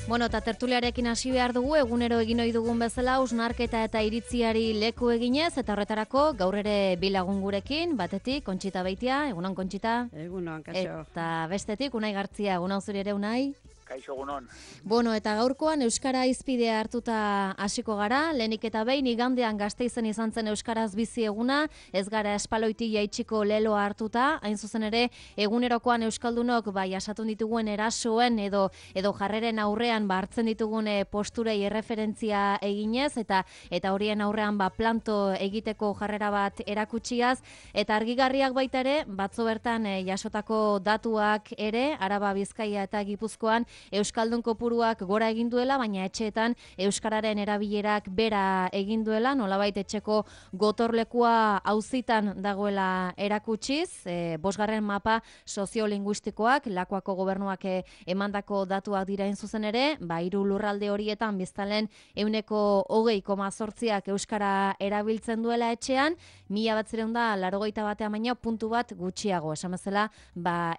Bueno, eta tertuliarekin hasi behar dugu, egunero egin ohi dugun bezala, hausnarketa eta iritziari leku eginez, eta horretarako gaur ere bi lagun gurekin, batetik, Kontxita Beitia, egunon Kontxita. Egunon, kaixo. Eta bestetik, Unai Gartzia, egunon zuri ere Unai. Kaixo egunon. Bueno, eta gaurkoan Euskara hizpidea hartuta hasiko gara, lehenik eta behin igandean Gasteizen izan zen Euskaraz bizi eguna, ez gara espaloiti jaitsiko leloa hartuta, hain zuzen ere, egunerokoan Euskaldunok jasatun dituguen erasoen edo jarreren aurrean hartzen ditugun posturei erreferentzia eginez, eta horien aurrean planto egiteko jarrera bat erakutsiaz, eta argigarriak baita ere, batzo bertan jasotako datuak ere, Araba, Bizkaia eta Gipuzkoan, Euskaldun kopuruak gora egin duela, baina etxeetan euskararen erabilerak bera egin duela, nolabait etxeko gotorlekua auzitan dagoela erakutsiz, bosgarren mapa soziolinguistikoak, Lakuako gobernuak emandako datuak dira zuzen ere, hiru lurralde horietan biztanleen 20,8% euskara erabiltzen duela etxean, 1981 baino puntu bat gutxiago, esan bezala,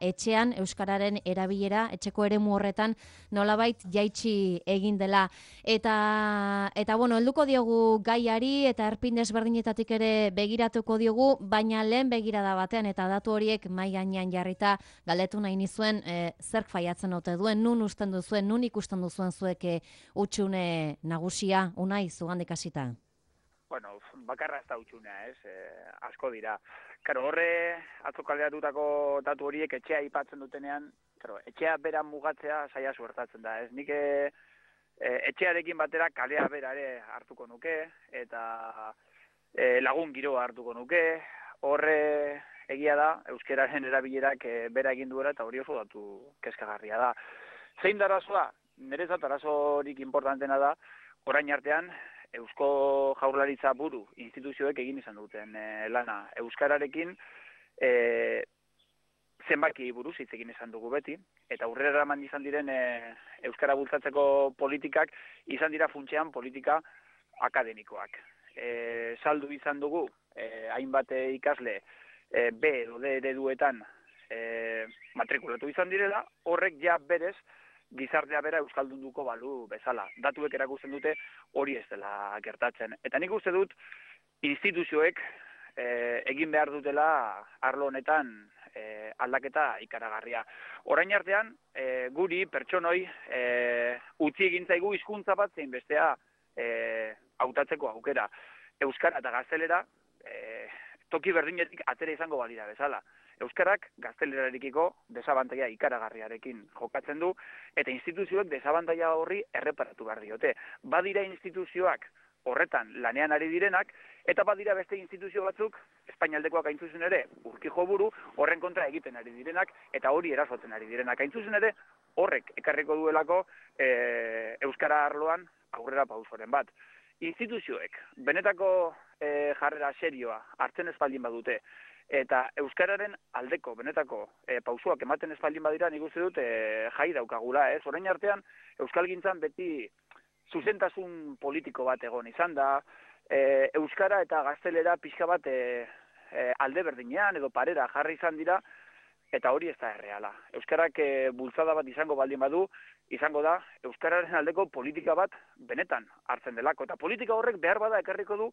etxean euskararen erabilera etxeko eremu horretan nolabait jaitsi egin dela. Eta bueno, helduko diogu gaiari eta erpin desberdinetatik ere begiratuko diogu, baina lehen begirada batean eta datu horiek mahai gainean jarrita galdetu nahi nizuen zerk faiatzen ote duen, nun usten duzuen, nun ikusten duzuen zuek hutsune nagusia, Unai, zugandik hasita. Bueno, bakarra ez da utxunea, asko dira. Karo, horre, atzo kalderatutako datu horiek etxea aipatzen dutenean, etxea bera mugatzea saia suertatzen da, ez? Nik etxearekin batera kalea bera ere hartuko nuke, eta lagun giroa hartuko nuke, horre egia da, euskeraren erabilerak bera egin duela, eta hori oso datu kezkagarria da. Zein da arazoa? Nerezat arazorik importantena da, orain artean, Eusko Jaurlaritza buru instituzioek egin izan duten lana. Euskararekin zenbaki buruz hitz egin izan dugu beti, eta aurrera eraman izan diren Euskara bultzatzeko politikak izan dira funtsean politika akademikoak. Saldu izan dugu, hainbat ikasle B edo D ereduetan matrikulatu izan direla, horrek ja berez gizartea bera euskaldunduko balu bezala. Datuek erakusten dute hori ez dela gertatzen. Eta nik uste dut instituzioek egin behar dutela arlo honetan aldaketa ikaragarria. Orain artean, guri, pertsonoi, utzi egin zaigu hizkuntza bat zein bestea hautatzeko aukera. Euskara eta gaztelera toki berdinetik atera izango balira bezala. Euskarak gaztelerarekiko desabantaia ikaragarriarekin jokatzen du, eta instituzioek desabantaia horri erreparatu behar diote. Badira instituzioak horretan lanean ari direnak, eta badira beste instituzio batzuk, Espainialdekoak hain zuzen ere, Urkijo buru, horren kontra egiten ari direnak, eta hori erasotzen ari direnak. Hain zuzen ere, horrek ekarriko duelako Euskara arloan aurrera pausoren bat. Instituzioek, benetako jarrera serioa hartzen ez baldin badute, eta Euskararen aldeko, benetako pausoak ematen ez baldin badira, nik uste dut jai daukagula, ez? Orain artean, Euskalgintzan beti zuzentasun politiko bat egon izan da, Euskara eta gaztelera pixka bat alde berdinean edo parera jarri izan dira, eta hori ez da erreala. Euskarak bultzada bat izango baldin badu, izango da Euskararen aldeko politika bat benetan hartzen delako. Eta politika horrek behar bada ekarriko du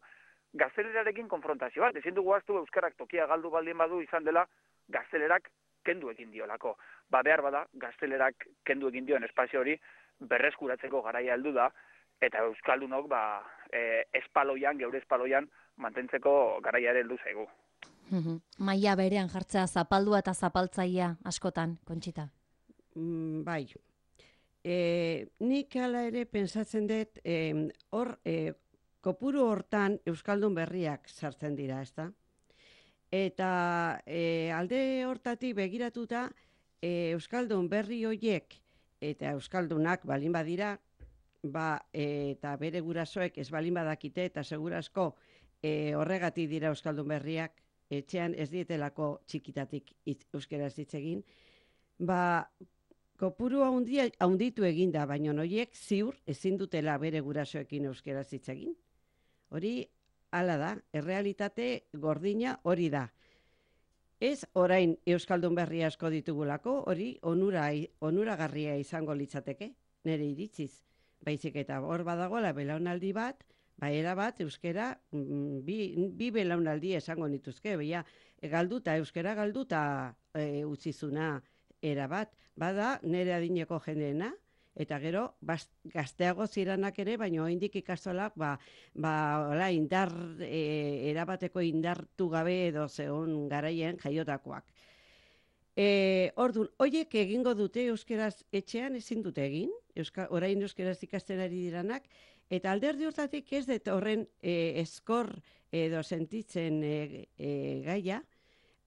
gaztelerarekin konfrontazio bat. Ezin dugu ahaztu Euskarak tokia galdu baldin badu izan dela gaztelerak kendu egin diolako. Behar bada gaztelerak kendu egin dioen espazio hori berreskuratzeko garaia heldu da, eta Euskaldunok espaloian, geure espaloian mantentzeko garaia ere heldu zaigu. Maila berean jartzea zapaldua eta zapaltzaia askotan, Kontxita. Bai. Nik hala ere pentsatzen dut kopuru hortan Euskaldun berriak sartzen dira, ezta? Eta alde hortatik begiratuta Euskaldun berri horiek eta Euskaldunak balin badira, eta bere gurasoek ez balin badakite eta segurazko horregatik dira Euskaldun berriak, etxean ez dietelako txikitatik euskaraz hitz egin, kopuru handitu eginda, baina horiek ziur ezin dutela bere gurasoekin euskaraz hitz egin. Hori hala da, errealitate gordina hori da. Ez orain Euskaldun berri asko ditugulako, hori onuragarria izango litzateke. nire iritziz. Baizik eta hor badagoela belaunaldi bat, era bat euskera bi belaunaldi esango nituzke, euskera galduta utzizuna era bat. Bada nire adineko jendeena, eta gero gazteago ziranak ere, baina oraindik ikastolak erabateko indartu gabe edo zeon garaien jaiotakoak. Orduan, horiek egingo dute euskeraz etxean ezin dute egin, orain euskeraz ikasten ari diranak, eta alderdi hortatik ez dut horren eskor edo sentitzen gaia,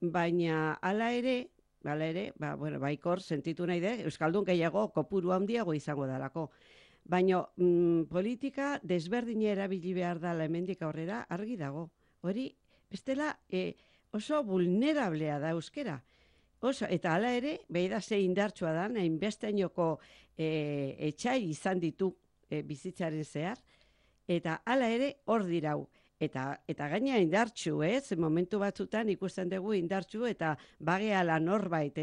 baina hala ere, baikor sentitu nahi dut, euskaldun gehiago kopuru handiago izango dalako. Baina politika desberdina erabili behar dela hemendik aurrera argi dago. Hori, bestela oso vulnerablea da euskera. Eta hala ere, beida ze indartsua da, hainbesteinoko etxai izan ditu bizitzaren zehar, eta hala ere hor dirau. Eta gaina indartsu, momentu batzutan ikusten dugu indartsu eta bageala norbait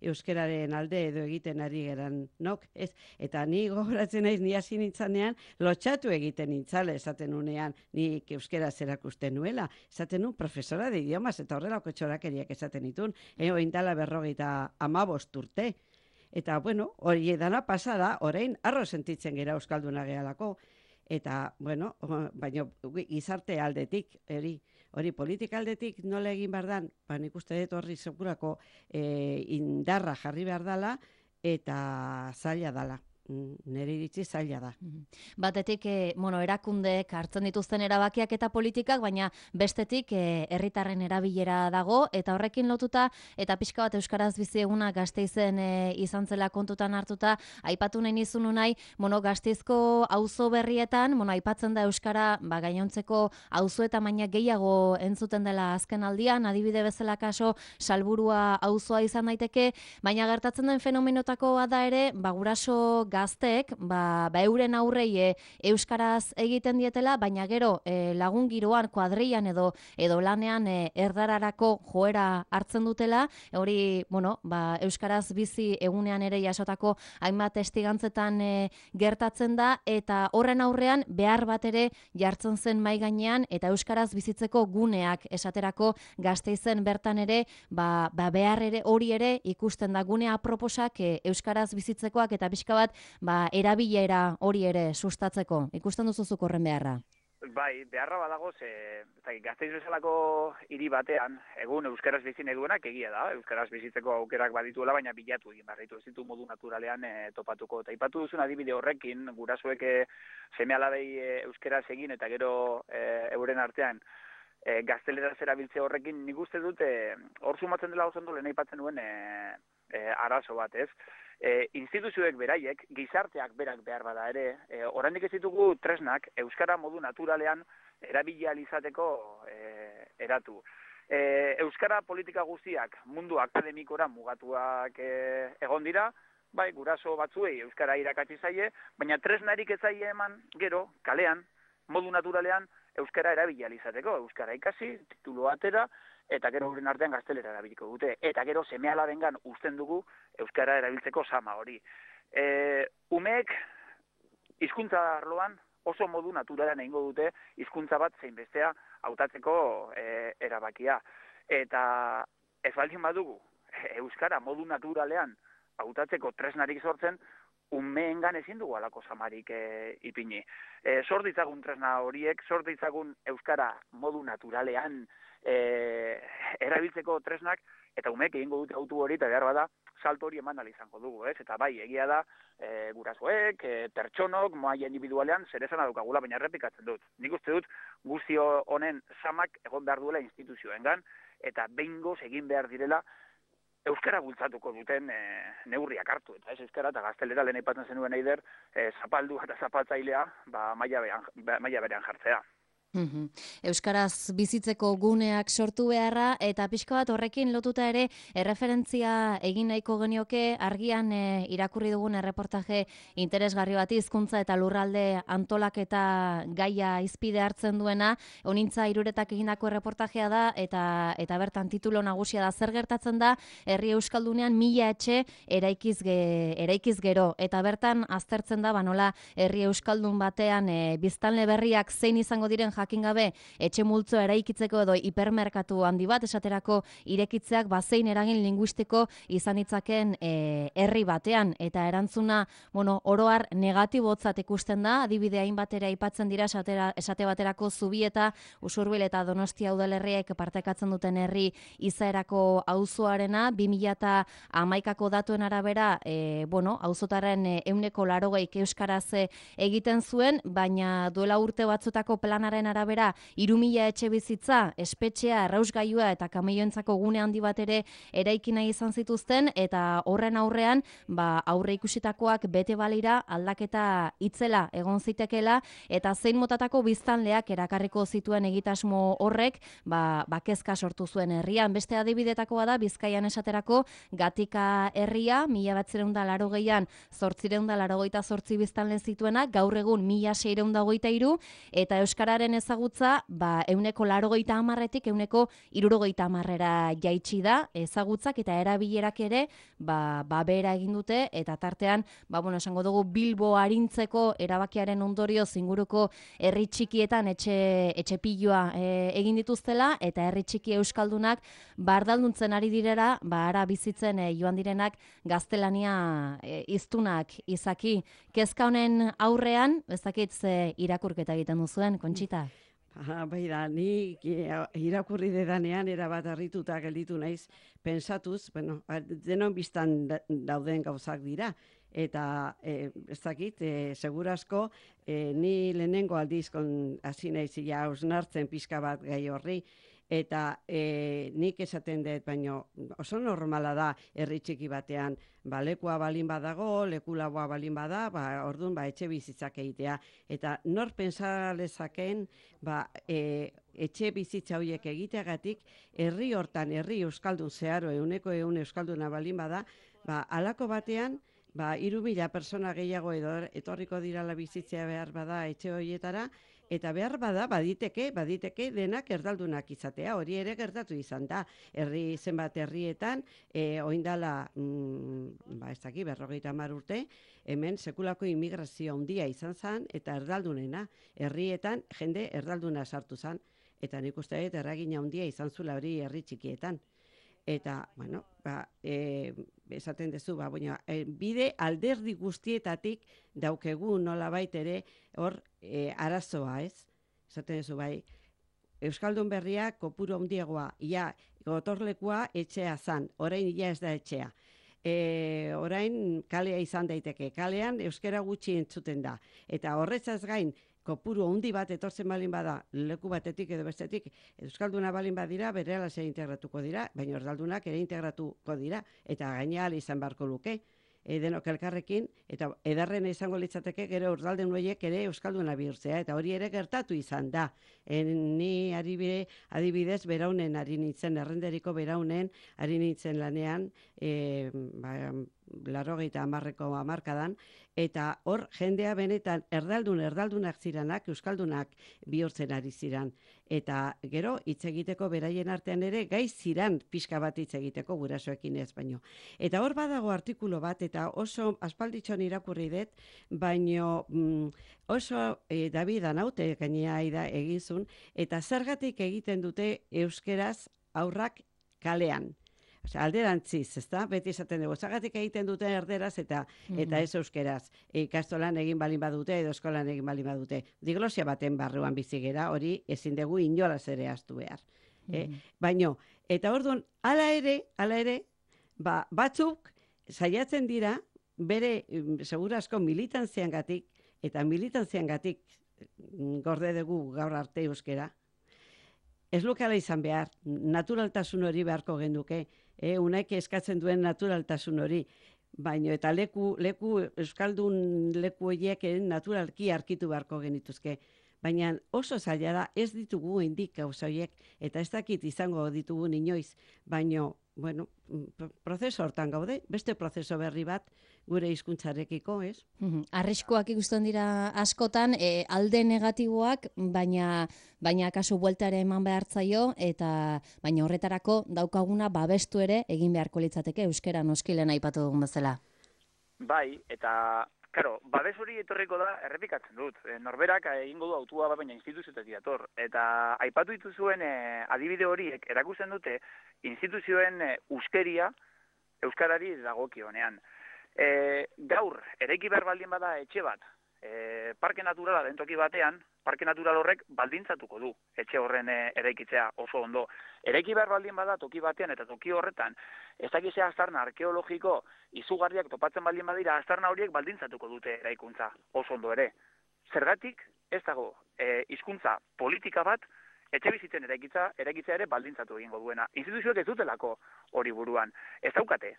euskeraren alde edo egiten ari geran nok, ez? Eta ni gogoratzen naiz, ni hasi nintzanean, lotxatu egiten nintzale esaten unean, nik euskera zerakusten nuela, esaten nun profesora de idiomas, eta horrelako txorakeriak esaten nitun, oindala 55 urte. Eta, hori edana pasada, orain, arro sentitzen gera euskalduna gehalako. Eta, baina gizarte aldetik, hori politika aldetik nola egin behar dan, nik uste dut horri segurako indarra jarri behar dala, eta zaila dala. Nire iritzi zaila da. Batetik, erakundeek hartzen dituzten erabakiak eta politikak, baina bestetik herritarren erabilera dago, eta horrekin lotuta, eta pixka bat Euskaraz bizi eguna Gasteizen izan zela kontutan hartuta, aipatu nahi nizun nahi, Gasteizko auzo berrietan, aipatzen da Euskara, gainontzeko auzoetan baina gehiago entzuten dela azken aldian, adibide bezala kaso, Salburua auzoa izan daiteke, baina gertatzen den fenomenotakoa da ere, guraso gazteek, euren aurrei euskaraz egiten dietela, baina gero lagun giroan, kuadrian edo lanean erdararako joera hartzen dutela, hori, euskaraz bizi egunean ere jasotako hainbat testigantzetan gertatzen da, eta horren aurrean behar bat ere jartzen zen mahai gainean, eta euskaraz bizitzeko guneak esaterako Gasteizen bertan ere, behar ere hori ere ikusten da gunea proposak euskaraz bizitzekoak eta pixka bat erabilera hori ere sustatzeko. Ikusten duzuzuk horren beharra? Bai, beharra badago, Gasteiz bezalako hiri batean, egun euskaraz bizi nahi duenak egia da, euskaraz bizitzeko aukerak badituela, baina bilatu egin behar ditu, ez ditu modu naturalean topatuko. Eta ipatu duzun adibide horrekin, gurasoek seme-alabei euskaraz egin eta gero euren artean gazteleraz erabiltze horrekin, nik uste dut, hor sumatzen dela oso ondo lehen aipatzen duen arazo bat, ez? Instituzioek beraiek, gizarteak berak behar bada ere, oraindik ez ditugu tresnak euskara modu naturalean erabili ahal izateko eratu. Euskara politika guztiak mundu akademikora mugatuak egon dira, bai, guraso batzuei euskara irakatsi zaie, baina tresnarik ez zaie eman gero kalean modu naturalean euskara erabili ahal izateko, euskara ikasi, titulu atera, eta gero horren artean gaztelera erabiliko dute. Eta gero seme-alabengan uzten dugu euskara erabiltzeko sama hori. Umeek hizkuntza arloan oso modu naturalean egingo dute hizkuntza bat zein bestea hautatzeko erabakia. Eta ez baldin badugu euskara modu naturalean hautatzeko tresnarik sortzen, umeengan ezin dugu alako samarik ipini. Sort ditzagun tresna horiek, sort ditzagun euskara modu naturalean erabiltzeko tresnak, eta umeek egingo dute autu hori, eta behar bada, salto hori eman izango dugu, ez? Eta bai, egia da, gurasoek, pertsonok, maila individualean, zer esan daukagula, baina errepikatzen dut. Nik uste dut, guztio honen samak egon behar duela instituzioengan, eta behingoz egin behar direla, euskara bultzatuko duten neurriak hartu, eta ez euskara eta gaztelera lehen aipatzen zenuen eider, zapaldua eta zapaltzailea maila berean jartzea. Euskaraz bizitzeko guneak sortu beharra, eta pixka bat horrekin lotuta ere erreferentzia egin nahiko genioke argian irakurri dugun erreportaje interesgarri bat hizkuntza eta lurralde antolaketa gaia hizpide hartzen duena, Honintza Iruretak egindako erreportajea da, eta bertan titulo nagusia da zer gertatzen da herri euskaldunean 1000 etxe eraikiz gero, eta bertan aztertzen da nola herri euskaldun batean biztanle berriak zein izango diren jakin gabe etxe multzoa eraikitzeko edo hipermerkatu handi bat esaterako irekitzeak zein eragin linguistiko izan ditzaken herri batean, eta erantzuna oroar negatibotzat ikusten da, adibide hainbatera aipatzen dira esate baterako Zubieta, Usurbil eta Donostia udalerriek partekatzen duten herri izaerako auzoarena 2011ko datuen arabera auzotaren 80% euskaraz egiten zuen, baina duela urte batzutako planaren arabera 3000 etxe bizitza, espetxea, errausgailua eta kameioentzako gune handi bat ere eraiki nahi izan zituzten, eta horren aurrean aurre ikusitakoak bete balira aldaketa itzela egon zitekela, eta zein motatako biztanleak erakarriko zituen egitasmo horrek kezka sortu zuen herrian. Beste adibidetakoa da Bizkaian esaterako Gatika herria 1980an 888 biztanle zituena, gaur egun 1623, eta euskararen ezagutza 80%tik 70%ra jaitsi da ezagutzak, eta erabilerak ere behera egin dute, eta tartean esango dugu Bilbo arintzeko erabakiaren ondorioz inguruko herri txikietan etxe piloa egin dituztela, eta herri txiki euskaldunak bardalduntzen ari direra, ara bizitzen joan direnak gaztelania hiztunak izaki. Kezka honen aurrean, ez dakit ze irakurketa egiten duzuen, Kontxita? Bai da, ni irakurri dedanean erabat harrituta gelditu naiz pentsatuz, denon biztan dauden gauzak dira, eta ez dakit, segurazko ni lehenengo aldiz hasi naiz hausnartzen pixka bat gai horri, eta nik esaten dut, baino oso normala da herri txiki batean, lekua balin badago, lekulagoa balin bada, orduan etxe bizitzak egitea, eta nor pentsa lezakeen etxe bizitza horiek egiteagatik herri hortan, herri euskaldun zeharo, 100% euskalduna balin bada, halako batean 3000 pertsona gehiago etorriko dirala bizitzea behar bada etxe horietara, eta behar bada, baditeke denak erdaldunak izatea, hori ere gertatu izan da. Zenbat herrietan, oindala, 50 urte, hemen sekulako immigrazio handia izan zen, eta erdaldunena, herrietan jende erdalduna sartu zen, eta nik uste dut erragina handia izan zula hori herri txikietan. Eta, esaten duzu, bide alderdi guztietatik daukegu nolabait ere hor arazoa, ez? Esaten duzu, Euskaldun berria kopuru handiagoa, gotorlekua etxea zan, orain ez da etxea. Orain kalea izan daiteke, kalean euskara gutxi entzuten da, eta horretzaz gain, kopuru handi bat etortzen balin bada, leku batetik edo bestetik, euskalduna balin badira, berehala zer integratuko dira, baina erdaldunak ere integratuko dira, eta gainera izan beharko luke, denok elkarrekin, eta edarrena izango litzateke gero erdaldun horiek ere euskalduna bihurtzea, eta hori ere gertatu izan da. Ni adibidez beraunen ari nintzen, errenderiko beraunen ari nintzen lanean, 80ko hamarkadan, eta hor jendea benetan erdaldunak ziranak, euskaldunak bihurtzen ari ziran. Eta gero hitz egiteko beraien artean ere gai ziran pixka bat hitz egiteko gurasoekin ez baino. Eta hor badago artikulu bat, eta oso aspalditxon irakurri dut, baino oso David Anaute gainea egizun, eta zergatik egiten dute euskeraz aurrak kalean. Alderantziz, ezta? Beti esaten dugu, zergatik egiten dute erderaz eta ez euskeraz. Ikastolan egin balin badute edo eskolan egin balin badute. Diglosia baten barruan bizigera, hori ezin dugu inolaz ere ahaztu behar. Baino, eta orduan, hala ere, batzuk saiatzen dira, bere segurazko militantziangatik, eta militantziangatik gorde dugu gaur arte euskera, ez lukala izan behar, naturaltasun hori beharko genduke, unaik eskatzen duen naturaltasun hori, baino eta euskaldun leku horiek naturalki arkitu beharko genituzke. baina oso zaila da ez ditugu indik gauza horiek, eta ez dakit izango ditugu inoiz, baino, bueno, prozeso hortan gaude, beste prozeso berri bat gure hizkuntzarekiko, ez? Arriskoak ikusten dira askotan, alde negatiboak, baina kasu bueltare eman behartzaio, eta baina horretarako daukaguna babestu ere egin beharko litzateke euskara noskilen aipatu dugun bezala. Bai, eta claro, babes hori etorriko da, errepikatzen dut. Norberak egingo du autua baina instituzioetik dator. Eta aipatu dituzuen adibide horiek erakusten dute instituzioen uskeria euskarari dagokionean. Gaur, eraiki behar baldin bada etxe bat, parke naturala den toki batean, parke natural horrek baldintzatuko du etxe horren eraikitzea oso ondo. Eraiki behar baldin bada toki batean eta toki horretan, ez dakizea aztarna arkeologiko izugarriak topatzen baldin badira, aztarna horiek baldintzatuko dute eraikuntza oso ondo ere. Zergatik ez dago hizkuntza politika bat etxe bizitzen eraikitzea ere baldintzatu egingo duena. Instituzioek ez dutelako hori buruan. Ez daukate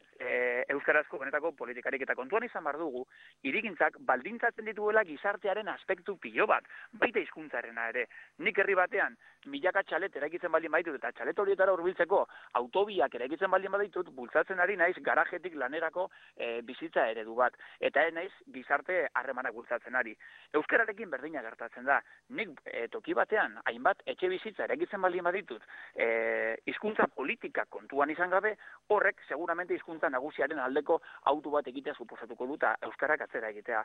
euskarazko benetako politikarik eta kontuan izan behar dugu, hirigintzak baldintzatzen dituela gizartearen aspektu pilo bat, baita hizkuntzarena ere. Nik herri batean milaka txalet eraikitzen baldin baditut eta txalet horietara hurbiltzeko autobiak eraikitzen baldin baditut, bultzatzen ari naiz garajetik lanerako bizitza eredu bat. Eta naiz gizarte harremanak bultzatzen ari. Euskararekin berdina gertatzen da. Nik toki batean hainbat etxe bizitza eraikitzen baldin baditut, hizkuntza politika kontuan izan gabe, horrek seguramente hizkuntza nagusiaren aldeko auto bat egitea suposatuko duta euskarak atzera egitea.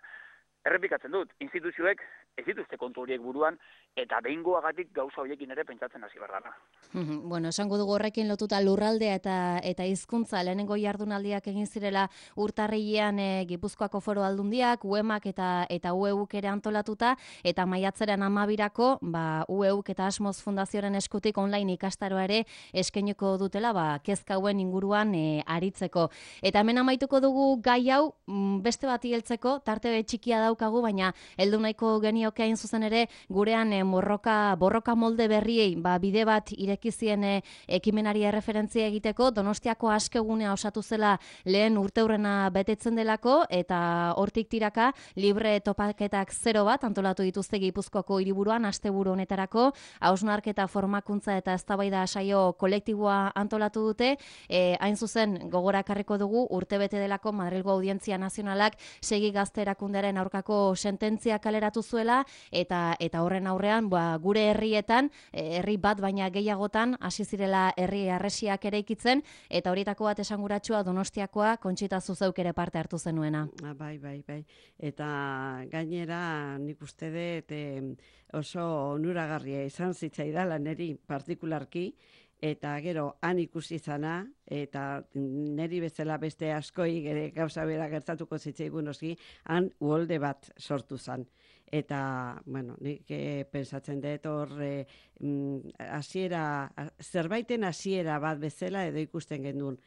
Errepikatzen dut, instituzioek ez dituzte kontu horiek buruan, eta behingoagatik gauza horiekin ere pentsatzen hasi behar dara. Bueno, esango dugu horrekin lotuta lurraldea eta hizkuntza lehenengo jardunaldiak egin zirela urtarrilean Gipuzkoako Foru Aldundiak, UEMak eta UEUk ere antolatuta, eta maiatzaren 12irako UEUk eta Asmoz Fundazioaren eskutik online ikastaroa ere eskainiko dutela kezka hauen inguruan aritzeko. Eta hemen amaituko dugu gai hau beste bati heltzeko, tarte txikia daukagu, baina heldu nahiko genioke hain zuzen ere gurean borroka molde berriei bide bat irekizien ekimenari erreferentzia egiteko. Donostiako askegunea osatu zela lehen urteurrena betetzen delako, eta hortik tiraka libre topaketak 0 bat antolatu dituzte Gipuzkoako hiriburuan asteburu honetarako, hausnarketa formakuntza eta eztabaida saio kolektiboa antolatu dute. Hain zuzen gogora ekarriko dugu urtebete delako Madrilgo Audientzia Nazionalak segi gazte erakundearen aurkako sententzia kaleratu zuela, eta horren aurrean gure herrietan, herri bat baina gehiagotan hasi zirela herri harresiak eraikitzen, eta horietako bat esanguratsua Donostiakoa, Kontxita Zuzeuk ere parte hartu zenuena. Bai. Eta gainera nik uste dut oso onuragarria izan zitzaidala niri partikularki, eta gero han ikusi izana, eta niri bezala beste askoi gauza bera gertatuko zitzaigun oski, han uholde bat sortu zan. Eta, bueno, nik pensatzen dut hor zerbaiten hasiera bat bezala edo ikusten gendun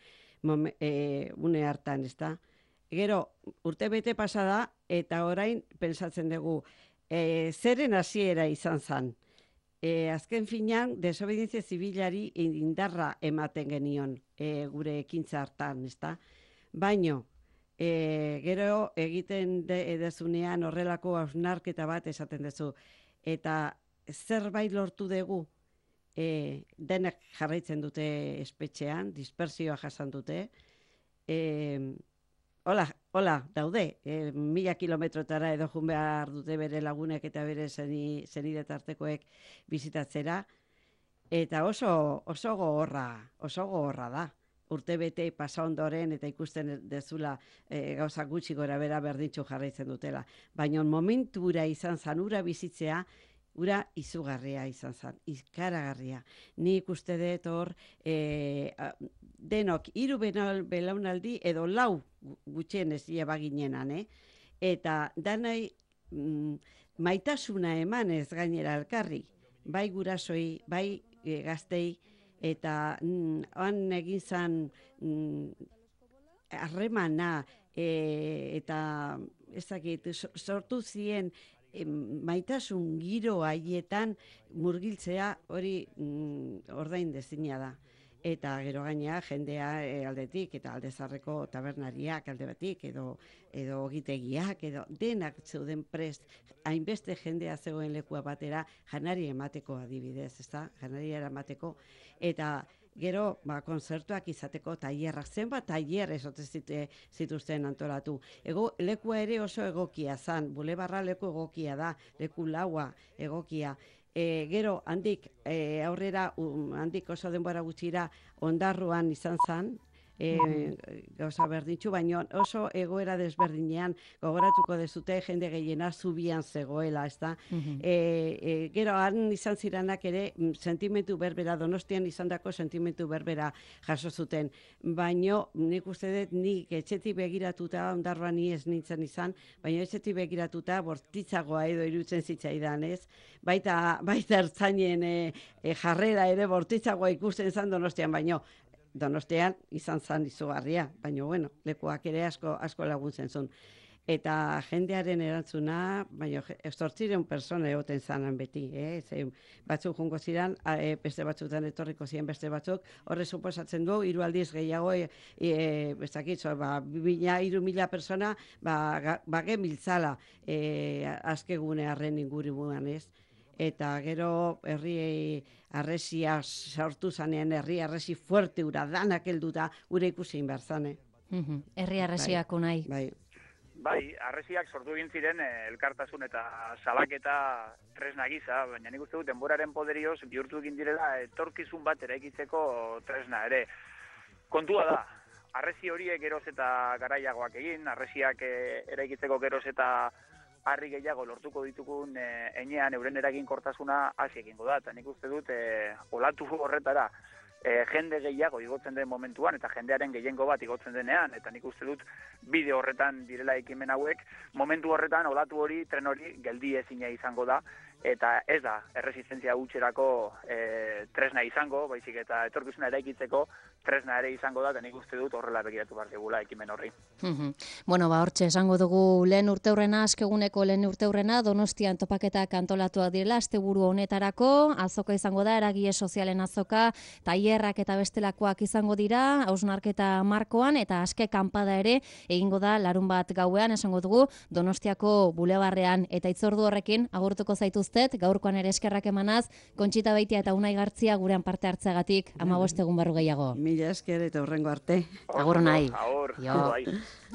une hartan, ezta? Gero, urte bete pasada, eta orain pensatzen dugu, zeren hasiera izan zan. Azken finean, desobedientzia zibilari indarra ematen genion gure ekintza hartan, ezta? Baino, gero egiten dezunean horrelako hausnarketa bat esaten dezu. Eta zerbait lortu dugu, denek jarraitzen dute espetxean, dispersioa jasan dute, Hola, daude, 1000 kilometrotara edo jun behar dute bere lagunek eta bere zenide tartekoek bizitatzera, eta oso gogorra da. Urte bete pasa ondoren eta ikusten dezula gauza gutxi gora bera berdintxu jarraitzen dutela. Baina momentura izan zan, ura bizitzea, ura izugarria izan zan, ikaragarria. Ni ikuste dut hor, denok 3 belaunaldi edo 4 gutxienez lleba ginenan, eta danai maitasuna emanez gainera elkarri, bai gurasoi, bai gaztei, eta han egin zan harremana eta ezakit sortu zien maitasun giro haietan murgiltzea hori ordain dezina da. eta gero gainea jendea aldetik eta aldezarreko tabernariak alde batik edo ogitegiak edo denak zeuden prest hainbeste jendea zegoen lekua batera janari emateko adibidez, ezta? Janariera emateko eta gero konzertuak izateko tailerrak zenbat tailer zituzten antolatu. Lekua ere oso egokia zan, bulebarra leku egokia da, leku laua egokia. Gero handik aurrera handik oso denbora gutxira Ondarruan izan zan, gauza berdintxu, baina oso egoera desberdinean gogoratuko dezute jende gehiena zubian zegoela, ezta? Gero han izan ziranak ere sentimentu berbera, Donostian izandako sentimentu berbera jaso zuten, baina nik uste dut nik etxetik begiratuta, Ondarruan ni ez nintzen izan, baina etxetik begiratuta bortitzagoa edo irutzen zitzaidan, ez? Baita ertzainen jarrera ere bortitzagoa ikusten zan Donostian, baino Donostian izan zan izugarria, baina bueno, lekuak ere asko laguntzen zuen. Eta jendearen erantzuna, baina 800 persona egoten zanan beti, batzuk jungo ziren, beste batzutan etorriko ziren beste batzuk, horre suposatzen du, 3 aldiz gehiago, bestakitzo, 2.000 persona, gemiltzala azkegune arren inguribuan, ez? Eta gero herri arresia sortu zanean, herri arresi fuerte ura danak helduta gure ikusi behar zane. Herri arresiak unai. Bai, arresiak sortu egin ziren elkartasun eta salaketa tresna gisa, baina nik uste dut denboraren poderioz bihurtu egin direla etorkizun bat eraikitzeko tresna ere. Kontua da, arresi horiek geroz eta garaiagoak egin, arresiak eraikitzeko geroz eta harri gehiago lortuko ditugun enean euren eraginkortasuna hasi egingo da. Eta nik uste dut olatu horretara jende gehiago igotzen den momentuan eta jendearen gehiengo bat igotzen denean, eta nik uste dut bide horretan direla ekimen hauek, momentu horretan olatu hori, tren hori geldi ezina izango da, eta ez da erresistentzia hutserako tresna izango, baizik eta etorkizuna eraikitzeko tresna ere izango da, eta nik uste dut horrela begiratu behar dugula ekimen horri. Bueno, hortxe esango dugu lehen urteurrena, askeguneko lehen urteurrena, Donostian topaketak antolatuak direla, asteburu honetarako, azoka izango da, eragile sozialen azoka, tailerrak eta bestelakoak izango dira, hausnarketa markoan, eta aske kanpada ere egingo da larun bat gauean, esango dugu, Donostiako bulebarrean, eta itzordu horrekin, agurtuko zaituztet, gaurkoan ere eskerrak emanaz, Kontxita Beitia eta Unai Gartzia gurean parte hartzeagatik, 15 egun barru gehiago. Mila esker eta hurrengo arte. Agur nahi. Agur.